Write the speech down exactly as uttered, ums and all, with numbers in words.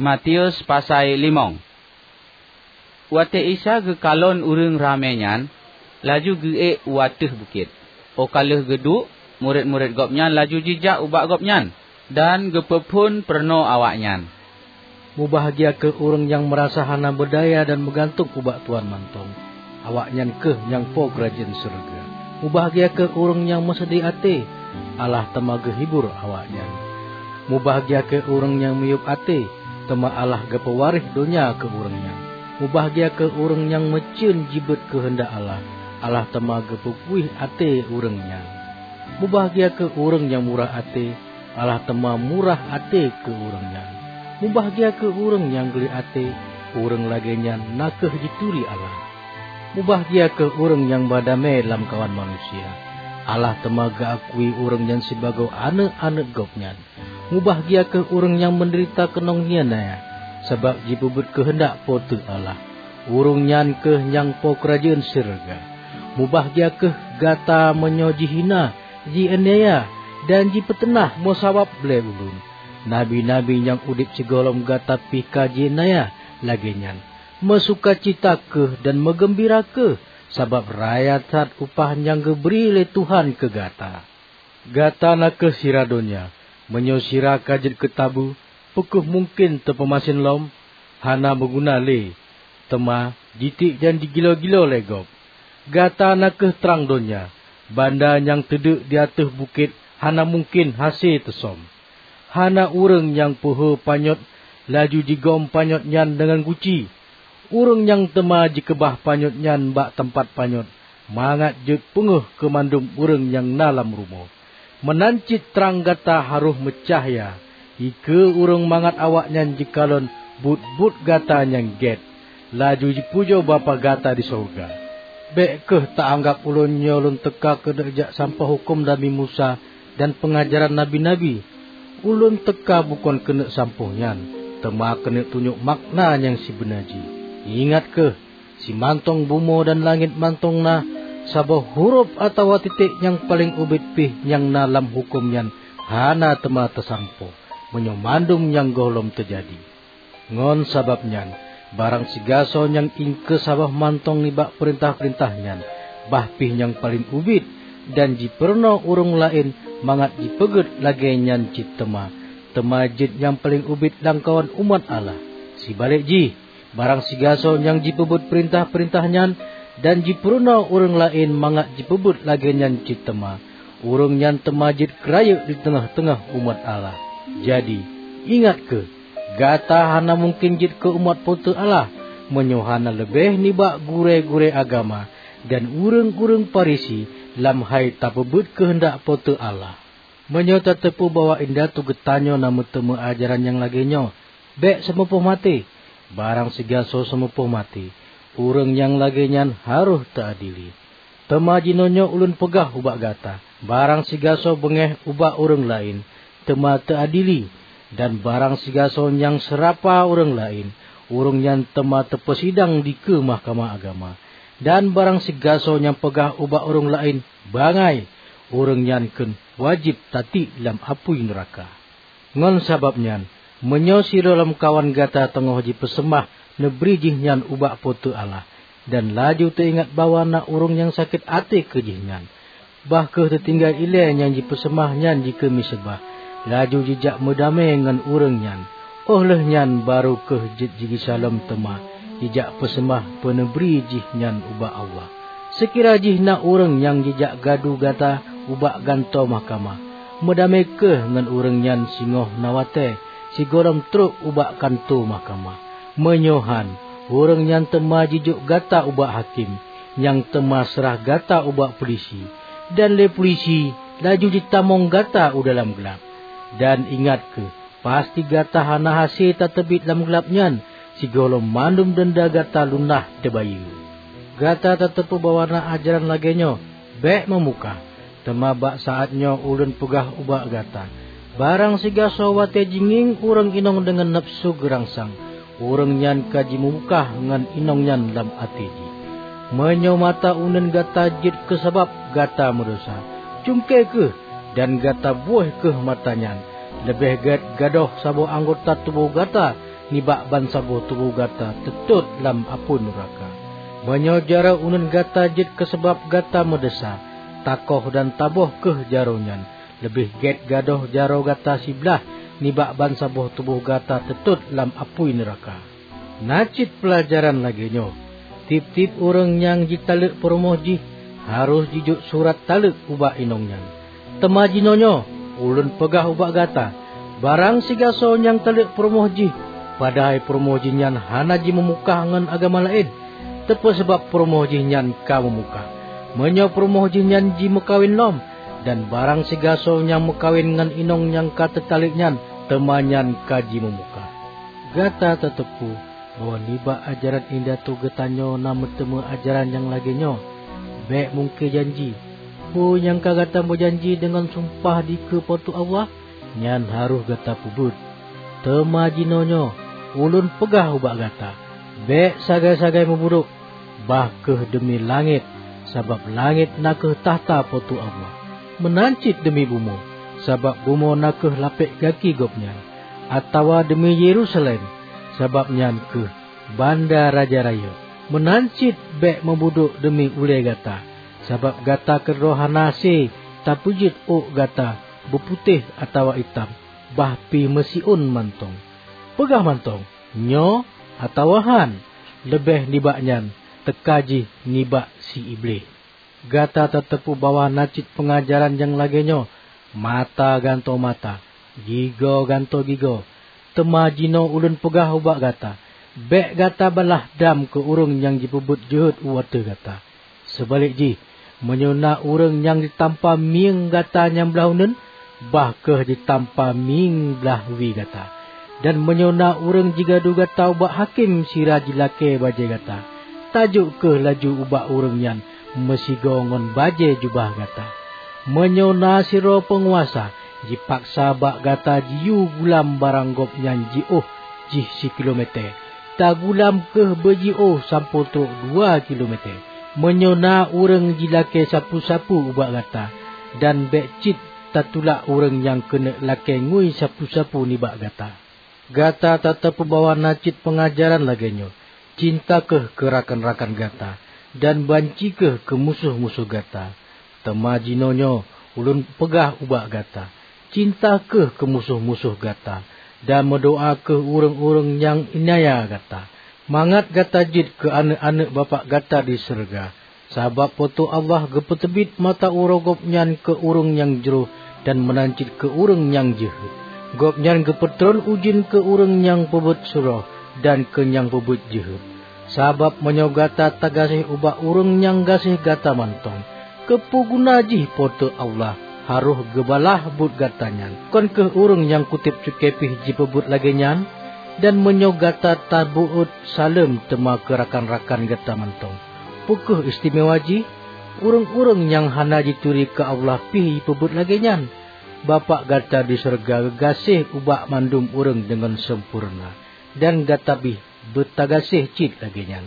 Matius pasai limong. Watée Isa geukalon ureuëng ramé nyan, laju geuék u ateueh bukét. Óh ka lheueh geuduek, murit-murit Gobnyan laju jijak ubak Gobnyan dan geupeuphon peurunoe awaknyan, "Mubahgia kheueh ureuëng nyang meurasa hana beudaya dan meugantung ubak Tuhan mantong. Awaknyan kheueh nyang po keurajeuen syeuruga. Mubahgia kheueh ureuëng nyang meuseudeh até, Allah teuma geuhibur awaknyan. Mubahgia kheueh ureuëng nyang miyueb até, teuma Allah geupeuwaréh donya keu ureuëng nyan. Mubahgia kheueh ureuëng nyang meucen jibeuet keuheundak Allah, Allah teuma geupeupuih até ureuëng nyan. Mubahgia kheueh ureuëng nyang murah até, Allah teuma murah até keu ureuëng nyan. Mubahgia kheueh ureuëng nyang gleh até, ureuëng lagée nyan na kheueh jituri Allah. Mubahgia kheueh ureuëng nyang ba damé lamkawan manusia, Allah teuma geuakui ureuëng nyan sibagoe aneuëk-aneuëk Gobnyan. Mubahgia kheueh ureuëng nyang meudeurita keunong iénanya, sabab jipeubuet keuheundak Po teu Allah. Ureuëng nyan kheueh nyang po keurajeuen syeuruga. Mubahgia kheueh gata meunyoe jihina, jianiaya, dan jipeuteunah meusabab lé ulôn. Nabi-nabi nyang udeb sigohlom gata pih ka jianiaya lagée nyan. Meusukacita kheueh dan meugeumbira kheueh, sabab raya that upah nyang geubri lé Tuhan keu gata. Gata na kheueh sira donya. Meunyoe sira ka jeuet keu tabu, peu kheueh mungken teupeumasen lom? Hana meuguna lé, teuma jitiek dan jigilo-gilo lé gob. Gata na kheueh trang donya. Banda nyang teudeuk di ateueh bukét hana mungken hase teusöm. Hana ureuëng nyang peuhô panyöt laju jigom panyöt nyan deungon guci. Ureuëng nyan teuma jikeubah panyöt nyan bak teumpat panyöt, mangat jeuet peungéh keu mandum ureuëng nyang na lam rumoh. Meunan cit trang gata harôh meucahya, dikeue ureuëng mangat awaknyan jikalon buet-buet gata nyang gét, laju jipujoe Bapak gata di syeuruga. Bék kheueh ta-anggab ulôn nyoe lôn teuka keuneuk jak sampoe huköm Nabi Musa dan peungajaran nabi-nabi. Ulôn teuka bukon keuneuk sampoe nyan, teuma keuneuk tunyok makna nyang sibeuna jih. Ingat kheueh, simantong bumoe dan langét mantong na, saboh hurôb atawa titék nyang paleng ubit pih nyang na lam huköm nyan hana teuma teusampoe, meunyoe mandum nyang gohlom teujadi. Ngon sabab nyan, barang sigasoe nyang iengkeue saboh mantong nibak peurintah-peurintah nyan, bah pih nyang paleng ubit, dan jipeurunoe ureuëng laén mangat jipeugét lagée nyan cit teuma, teuma jeuet nyang paleng ubit lamkawan umat Allah. Sibalek jih, barang sigasoe nyang jipeubuet peurintah-peurintah nyan dan jipeurunoe ureuëng laén mangat jipeubuet lagée nyan cit teuma, ureuëng nyan teuma jeuet keurayeuk di teungoh-teungoh umat Allah. Jadi, ingat kheueh, gata hana mungken jeuet keu umat Po teu Allah meunyoe hana leubeh nibak gurée-gurée agama dan ureuëng-ureuëng Farisi lam hai tapeubuet keuheundak Po teu Allah. Meunyoe tateupeue bahwa indatu geutanyoe na meuteumé ajaran nyang lagée nyoe, bék seumeupoh maté. Barang sigasoe seumeupoh maté, ureuëng nyang lagée nyan harôh teuadili. Teuma jinoenyoe ulôn peugah ubak gata, barang sigasoe beungéh ubak ureuëng laén, teuma teuadili, dan barang sigasoe nyang seurapa ureuëng laén, ureuëng nyan teuma teupeusidang dikeue mahkamah agama. Dan barang sigasoe nyang peugah ubak ureuëng laén, "Bangai!" ureuëng nyan kheun wajéb tatiek lam apui neuraka. Ngon sabab nyan, meunyoe sidroe lamkawan gata teungoh jipeuseumah neubri jih nyan ubak Po teu Allah, dan laju teuingat bahwa na ureuëng nyang sakét até keu jih nyan, bah kheueh teutinggai ilée nyang jipeuseumah nyan jikeue miseubah, laju jijak meudamé ngon ureuëng nyan. Óh lheueh nyan barô kheueh jeuet jigisa lom teuma jijak peuseumah peuneubri jih nyan ubak Allah. Seukira jih na ureuëng nyang jijak gadu gata ubak gantoe mahkamah, meudamé kheueh ngon ureuëng nyan singoh na watée sigohlom trok ubak kantô mahkamah. Meunyoe han, ureuëng nyan teuma jijok gata ubak hakém, nyang teuma seurah gata ubak pulisi, dan lé pulisi laju jitamong gata u dalam glab. Dan ingat kheueh, pasti gata hana hase tateubiet lam glab nyan sigohlom mandum deunda gata lunah teubayeue. Gata tateupeue bahwa na ajaran lagée nyoe, "Bék meumukah." Teuma bak saát nyoe ulôn peugah ubak gata, barang sigasoe watée jingieng ureuëng inong deungon nafeusu geurangsang, ureuëng nyan ka jimeumukah ngon inong nyan lam até jih. Meunyoe mata uneuen gata jeuet keu sabab gata meudesya, cungké kheueh dan gata buéh kheueh mata nyan. Leubeh gét gadôh saboh anggota tuboh gata nibak bansaboh tuboh gata teutot lam apui nuraka. Meunyoe jaroe uneuen gata jeuet keusabab gata meudesya, takoh dan taboh kheueh jaroe nyan. Leubeh gét gadôh jaroe gata siblaih nibak bansaboh tuboh gata teutot lam apui nuraka. Na cit peulajaran lagée nyoe: Tieb-tieb ureuëng nyang jitaleuek peurumoh jih harôh jijok surat taleuek ubak inong nyan. Teuma jinoenyoe ulôn peugah ubak gata, barang sigasoe nyang taleuek peurumoh jih, padahai peurumoh jih nyan hana jimeumukah ngon agama laén, teupeu sabab peurumoh jih nyan ka meumukah. Meunyoe peurumoh jih nyan jimeukawen lom, dan barang sigasoe nyang meukawen ngon inong nyang ka teutaleuek nyan, teuma nyan ka jimeumukah. Gata tateupeue bahwa nibak ajaran indatu geutanyoe na meuteumé ajaran nyang lagée nyoe: Bék mungké janji. Peue nyang ka gata meujanji deungon sumpah dikeue Po teu Allah, nyan harôh gata peubuet. Teuma jinoenyoe ulôn peugah ubak gata, bék sagai-sagai meubudoe, bah kheueh deumi langét, sabab langét na kheueh takhta Po teu Allah. Meunan cit deumi bumoe, sabab bumoe na kheueh lapék gaki Gobnyan, atawa deumi Yerusalem, sabab nyan kheueh banda Raja Rayeuk. Meunan cit bék meubudoe deumi ulée gata, sabab gata keudroe hana hase tapeujeuet ôk gata beuputéh atawa itam, bah pih meusiôn mantong. Peugah mantong, "Nyoe," atawa "Hán," leubeh nibak nyan teuka jih nibak si Iblih. Gata tateupeue bahwa na cit peungajaran nyang lagée nyoe: "Mata gantoe mata, gigoe gantoe gigoe." Teuma jinoe ulôn peugah ubak gata, bék gata balaih dam keu ureuëng nyang jipeubuet jeuhet u ateueh gata. Seubalek jih, meunyoe na ureuëng nyang jitampa mieng gata nyang blaih uneuen, bah kheueh jitampa mieng blaih wie gata. Dan meunyoe na ureuëng jigadu gata ubak hakém sira jilakée bajée gata, tajok kheueh laju ubak ureuëng nyan meusigoe ngon bajée jubah gata. Meunyoe na sidroe peunguasa jipaksa bak gata jiyue gulam barang gobnyan jiôh jih sikilomète, tagulam kheueh beujiôh sampoe trok dua kilomète. Meunyoe na ureuëng jilakée sapeue-sapeue ubak gata, dan bék cit tatulak ureuëng nyang keuneuk lakée ngui sapeue-sapeue nibak gata. Gata tateupeue bahwa na cit peungajaran lagée nyoe: "Cinta kheueh keu rakan-rakan gata, dan banci kheueh keu musoh-musoh gata." Teuma jinoenyoe ulôn peugah ubak gata, cinta kheueh keu musoh-musoh gata, dan meudoá kheueh ureuëng-ureuëng nyang iénanya gata, mangat gata jeuet keu aneuëk-aneuëk Bapak gata di syeuruga. Sabab Po teu Allah geupeuteubiet mata uroe Gobnyan keu ureuëng nyang jroh dan meunan cit keu ureuëng nyang jeuhet. Gobnyan geupeutron ujeuen keu ureuëng nyang peubuet surôh dan keu nyang peubuet jeuhet. Sabab meunyoe gata tagaséh ubak ureuëng nyang gaséh gata mantong, keupeue guna jih Po teu Allah harôh geubalaih buet gata nyan? Kon kheueh ureuëng nyang kutéb cuké pih jipeubuet lagée nyan? Dan meunyoe gata tabeuôt saleuem teuma keu rakan-rakan gata mantong, peu kheueh istimewa jih? Ureuëng-ureuëng nyang hana jituri keu Allah pih jipeubuet lagée nyan. Bapak gata di syeuruga geugaséh ubak mandum ureuëng deungon sampoereuna, dan gata pih beutagaséh cit lagée nyan.